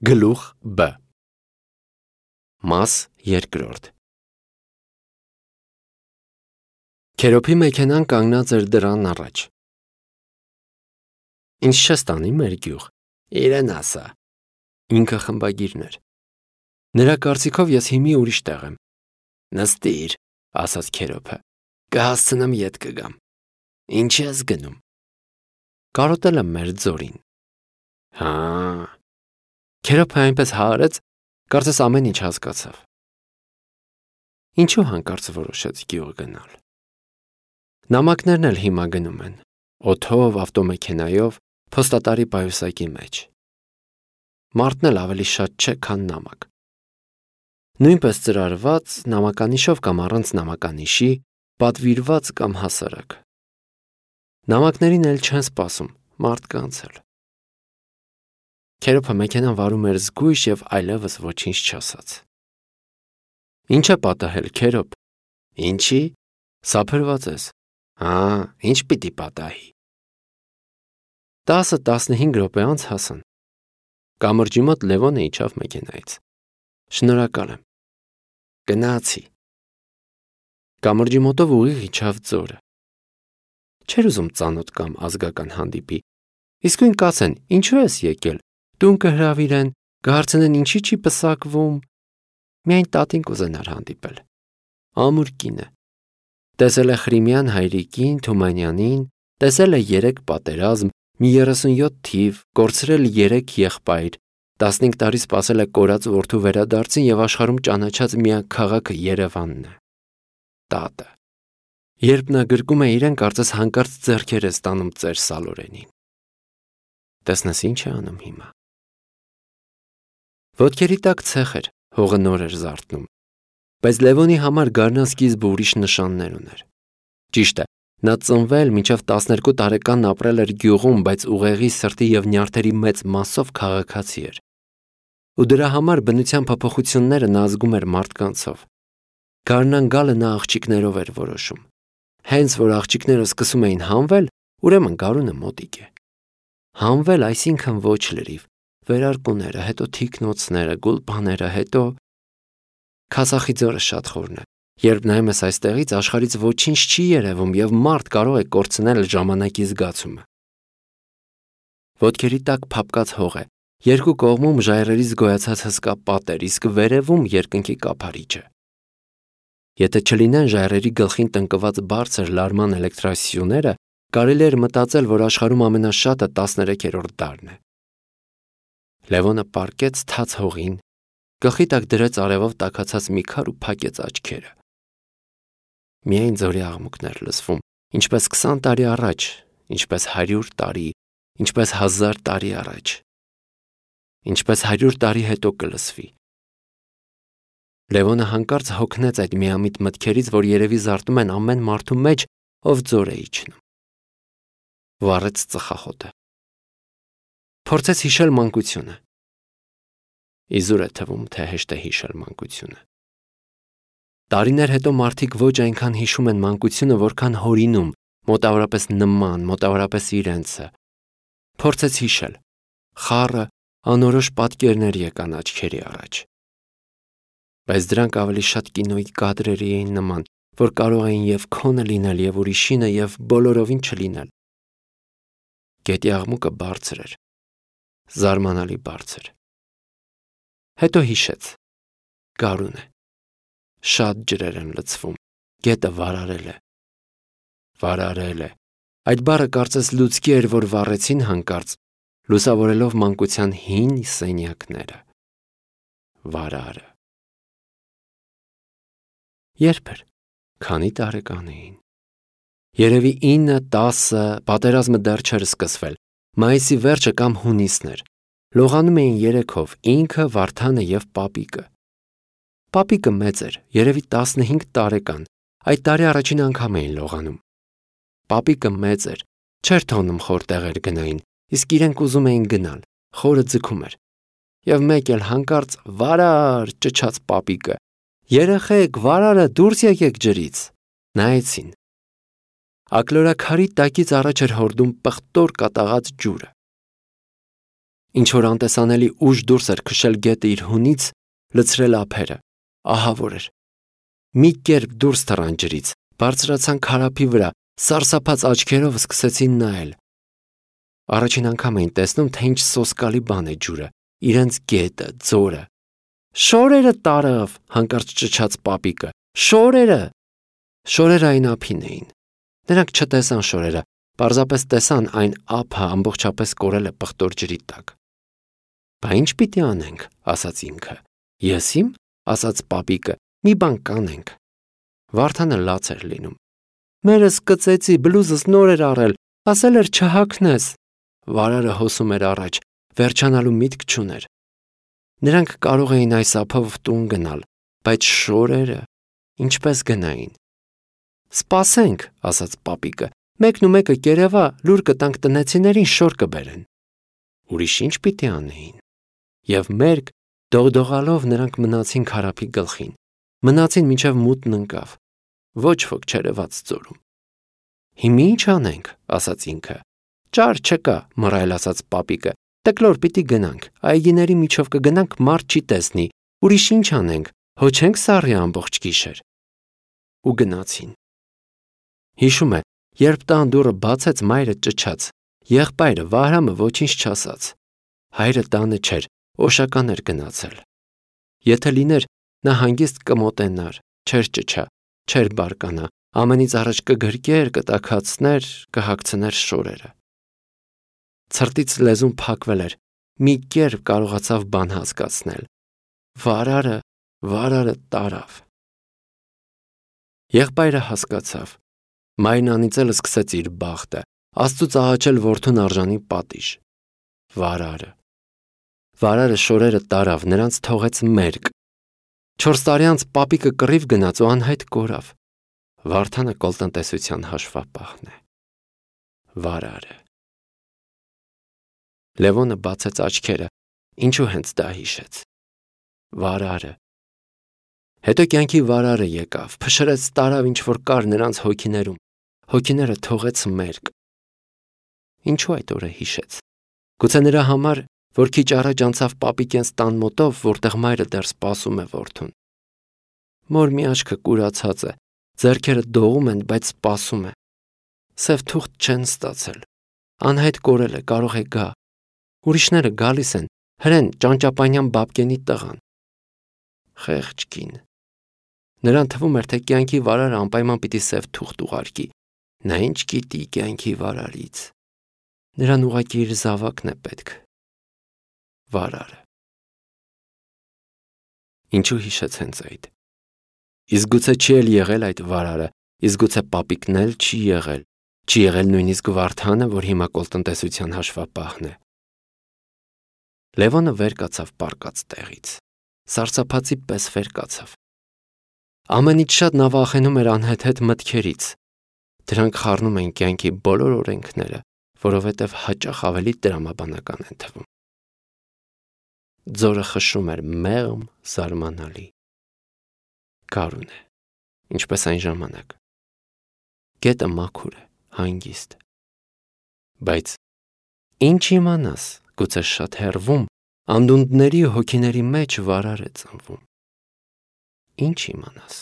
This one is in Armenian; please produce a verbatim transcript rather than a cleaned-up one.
Գլուխ B Մաս երկրորդ Քերոփի մեքենան կանգնած էր դռան առաջ։ Ինչ չես տանի մեր գյուղ, իրեն ասա։ Ինքը խմբագիրն էր։ Նրա կարծիքով ես հիմի ուրիշ տեղ եմ։ Նստիր, ասաց Քերոփը, կհասցնեմ ետ կգամ։ Ինչ ես գնում։ Կարոտել եմ մեր ձորին։ Հա։ Քերոփը այնպես հարեց, կարծես ամեն ինչ հասկացավ։ Ինչու հանկարծ որոշեց գյուղ գնալ։ Նամակներն էլ հիմա գնում են, օդով, ավտոմեքենայով, փոստատարի պայուսակի մեջ։ Մարդն էլ ավելի շատ չէ, քան նամակ։ Նույնպես ծրարված, նամականիշով կամ առանց նամականիշի, պատվիրված կամ հասարակ։ Նամակներին էլ չեն սպասում, մարդկանց էլ։ Քերոփը մեքենան վարում էր զգույշ և այլևս ոչինչ չասաց։ Ինչ է պատահել, Քերոփ։ Ինչի՞։ Սափրված ես։ Հա, ինչ պիտի պատահի։ Տասը տասնհինգ րոպե անց հասան։ Կամրջի մոտ Լևոնը իջավ մեքենայից։ Շնորհակալ եմ։ Գնացի։ Կամրջի մոտով ուղիղ իջավ ձորը։ Չէր ուզում ծանոթ կամ ազգական հանդիպի։ Իսկույն կասեն, ինչու ես եկել։ Տուն կհրավիրեն, կհարցնեն ինչի չի պսակվում։ Միայն տատին կուզենար հանդիպել։ Ամուր կին է։ Տեսել է Խրիմյան հայրիկին, Թումանյանին, տեսել է երեք պատերազմ, մի երեսունյոթ թիվ, կորցրել երեք եղբայր, տասնհինգ տարի սպասել է կորած որդու վերադարձին և աշխարհում ճանաչած միակ քաղաքը Երևանն է։ Տատը։ Երբ նա գրկում է իրեն, կարծես հանկարծ ձեռքեր է ստանում ծեր Սալորենին։ Տեսնես ինչ է անում հիմա։ Ոտքերի տակ ցեխ էր, հողը նոր էր զարթնում, բայց Լևոնի համար գարնանսկիզբը ուրիշ նշաններ ուներ։ Ճիշտ է, նա ծնվել մինչև տասներկու տարեկան ապրել էր գյուղում, բայց ուղեղի, սրտի և նյարդերի մեծ մասով քաղաքացի էր։ Ու դրա համար բնության փոփոխությունները նա զգում էր մարդկանցով։ Գարնան գալը նա աղջիկներով էր որոշում։ Հենց որ աղջիկները սկսում էին հանվել, ուրեմն գարունը մոտիկ է։ Հանվել, այսինքն ոչ լրիվ, վերարկուները, հետո թիկնոցները, գուլպաները, հետո… Քասախի ձորը շատ խորն է։ Երբ նայում ես այստեղից, աշխարհից ոչինչ չի երևում և մարդ կարող է կորցնել ժամանակի զգացումը։ Ոտքերի տակ փափկած հող է, երկու կողմում ժայռերից գոյացած հսկա պատեր, իսկ վերևում երկնքի կափարիչը։ Եթե չլինեն ժայռերի գլխին տնկված բարձր լարման էլեկտրասյուները, կարելի էր մտածել, որ աշխարհում ամենաշատը տասներեքերորդ դարն է։ Լևոնը պառկեց թաց հողին, գլխի տակ դրեց արևով տաքացած մի քար ու փակեց աչքերը։ Միայն ձորի աղմուկներ լսվում, ինչպես քսան տարի առաջ, ինչպես հարյուր տարի, ինչպես հազար տարի առաջ, ինչպես հարյուր տարի հետո կլսվի։ Լևոնը հանկարծ հոգնեց այդ միամիտ մտքերից, որ երևի զարթնում են ամեն մարդու մեջ, ով ձոր է իջնում։ Վառեց ծխախոտը։ Փորձեց հիշել մանկությունը։ Իզուր է թվում, թե հեշտ է հիշել մանկությունը։ Տարիներ հետո մարդիկ ոչ այնքան հիշում են մանկությունը, որքան հորինում, մոտավորապես նման, մոտավորապես իրենցը։ Փորձեց հիշել։ Խառը, անորոշ պատկերներ եկան աչքերի առաջ։ Բայց դրանք ավելի շատ կինոյի կադրերի էին նման, որ կարող էին և քոնը լինել, և ուրիշինը, և բոլորովին չլինել։ Գետի աղմուկը բարձր էր, զարմանալի բարձր։ Հետո հիշեց. գարուն է, շատ ջրեր են լցվում, գետը վարարել է։ Վարարել է, այդ բառը կարծես լուցկի էր, որ վառեցին հանկարծ, լուսավորելով մանկության հին սենյակները։ Վարարը։ Երբ էր, քանի տարեկան էին։ Երևի ինը, տասը, պատերազմը դեռ չէր սկսվել, մայիսի վերջը կամ հունիսն էր։ Լողանում էին երեքով, ինքը, Վարդանը և պապիկը։ Պապիկը մեծ էր, երևի տասնհինգ տարեկան, այդ տարի առաջին անգամ էին լողանում։ Պապիկը մեծ էր, չէր թողնում խոր տեղեր գնային, իսկ իրենք ուզում էին գնալ, խորը ձգում էր։ Եվ մեկ էլ հանկարծ վարար ճչաց պապիկը. երեխեք, վարարը, դուրս եկեք ջրից։ Նայեցին։ Ակլորաքարի տակից առաջ էր հորդում պղտոր կատաղած ջուրը։ Ինչ որ անտեսանելի ուժ դուրս էր քշել գետը իր հունից, լցրել ափերը, ահավոր էր։ Մի կերպ դուրս թռան ջրից, բարձրացան քարափի վրա, սարսափած աչքերով սկսեցին նայել։ Առաջին անգամ էին տեսնում, թե ինչ սոսկալի բան է ջուրը, իրենց գետը, ձորը։ Շորերը տարավ, հանկարծ ճչաց պապիկը։ Շորերը։ Շորերը այն ափին էին։ Նրանք չտեսան շորերը, պարզապես տեսան այն ափը ամբողջապես կորել է պղտոր ջրի տակ։ Բա ինչ պիտի անենք, ասաց ինքը։ Ես իմ, ասաց պապիկը, մի բան կանենք։ Վարդանը լաց էր լինում։ Մերս կծեցի, բլուզս նոր էր առել, ասել էր չհագնես։ Վարարը հոսում էր առաջ, վերջանալու միտք չուներ։ Նրանք կարող էին այս ափով տուն գնալ, բայց շորերը ինչպես գնային։ Սպասենք, ասաց պապիկը, մեկն ու մեկը կերևա, լուր կտանք տնեցիներին, շոր կբերեն։ Ուրիշ ինչ պիտի անեին։ Եվ մերկ դողդողալով նրանք մնացին քարափի գլխին, մնացին մինչև մութն ընկավ, ոչ ոք չերևաց ձորում։ Հիմա ինչ անենք, ասաց ինքը։ Ճար չկա, մռայլ ասաց պապիկը, տկլոր պիտի գնանք, այգիների միջով կգնանք, մարդ չի տեսնի, ուրիշ ինչ անենք, հոչենք սառի ամբողջ գիշեր։ Ու գնացին։ Հիշում է, երբ տան դուռը բացեց, մայրը ճչաց, եղբայրը Վահրամը ոչինչ չասաց։ Հայրը տանը չէր, օշական էր գնացել։ Եթե լիներ, նա հանգիստ կմոտենար, չէր ճչա, չէր բարկանա, ամենից առաջ կգրկեր, կտաքացներ, կհագցներ շորերը։ Ցրտից լեզուն փակվել էր, մի կերպ կարողացավ բան հասկացնել։ Վարարը, վարարը տարավ։ Եղբայրը հասկացավ։ Մայրն անիծելը սկսեց իր բախտը, Աստծուց աղաչել որդուն արժանի պատիժ։ Վարարը։ Վարարը շորերը տարավ, նրանց թողեց մերկ։ Չորս տարի անց պապիկը կռիվ գնաց ու անհայտ կորավ։ Վարդանը կոլտնտեսության հաշվապահն է։ Վարարը։ Լևոնը բացեց աչքերը, ինչու հենց դա հիշեց։ Վարարը։ Հետո կյանքի վարարը եկավ, փշրեց տարավ ինչ որ կար նրանց հոգիներում, հոգիները թողեց մերկ։ Ինչու այդ օրը հիշեց։ Գուցե նրա համար, որ քիչ առաջ անցավ պապիկենց տան մոտով, որտեղ մայրը դեռ սպասում է որդուն։ Մոր մի աչքը կուրացած է, ձեռքերը դողում են, բայց սպասում է։ Սև թուղթ չեն ստացել։ Անհայտ կորել է, կարող է գա։ Ուրիշները գալիս են, հրեն Ճանճապանյան Բաբկենի տղան։ Խեղճ կին։ Նրան թվում էր, թե կյանքի վարարը անպայման պիտի սև թուղթ ուղարկի։ Նա ինչ գիտի կյանքի վարարից։ Նրան ուղղակի իր զավակն է պետք։ Վարարը։ Ինչու հիշեց հենց այդ։ Իսկ գուցե չի էլ եղել այդ վարարը, իսկ գուցե պապիկն էլ չի եղել, չի եղել նույնիսկ Վարդանը, որ հիմա կոլտնտեսության հաշվապահն է։ Լևոնը վեր կացավ պառկած տեղից, սարսափածի պես վեր կացավ։ Ամենից շատ նա վախենում էր անհեթեթ մտքերից։ Դրանք խառնում են կյանքի բոլոր օրենքները, որովհետև հաճախ ավելի տրամաբանական են թվում։ Ձորը խշում էր մեղմ, զարմանալի։ Գարուն է, ինչպես այն ժամանակ։ Գետը մաքուր է, հանգիստ։ Բայց ինչ իմանաս, գուցե շատ հեռվում, անդունդների հոգիների մեջ վարար է ծնվում։ Ինչ իմանաս։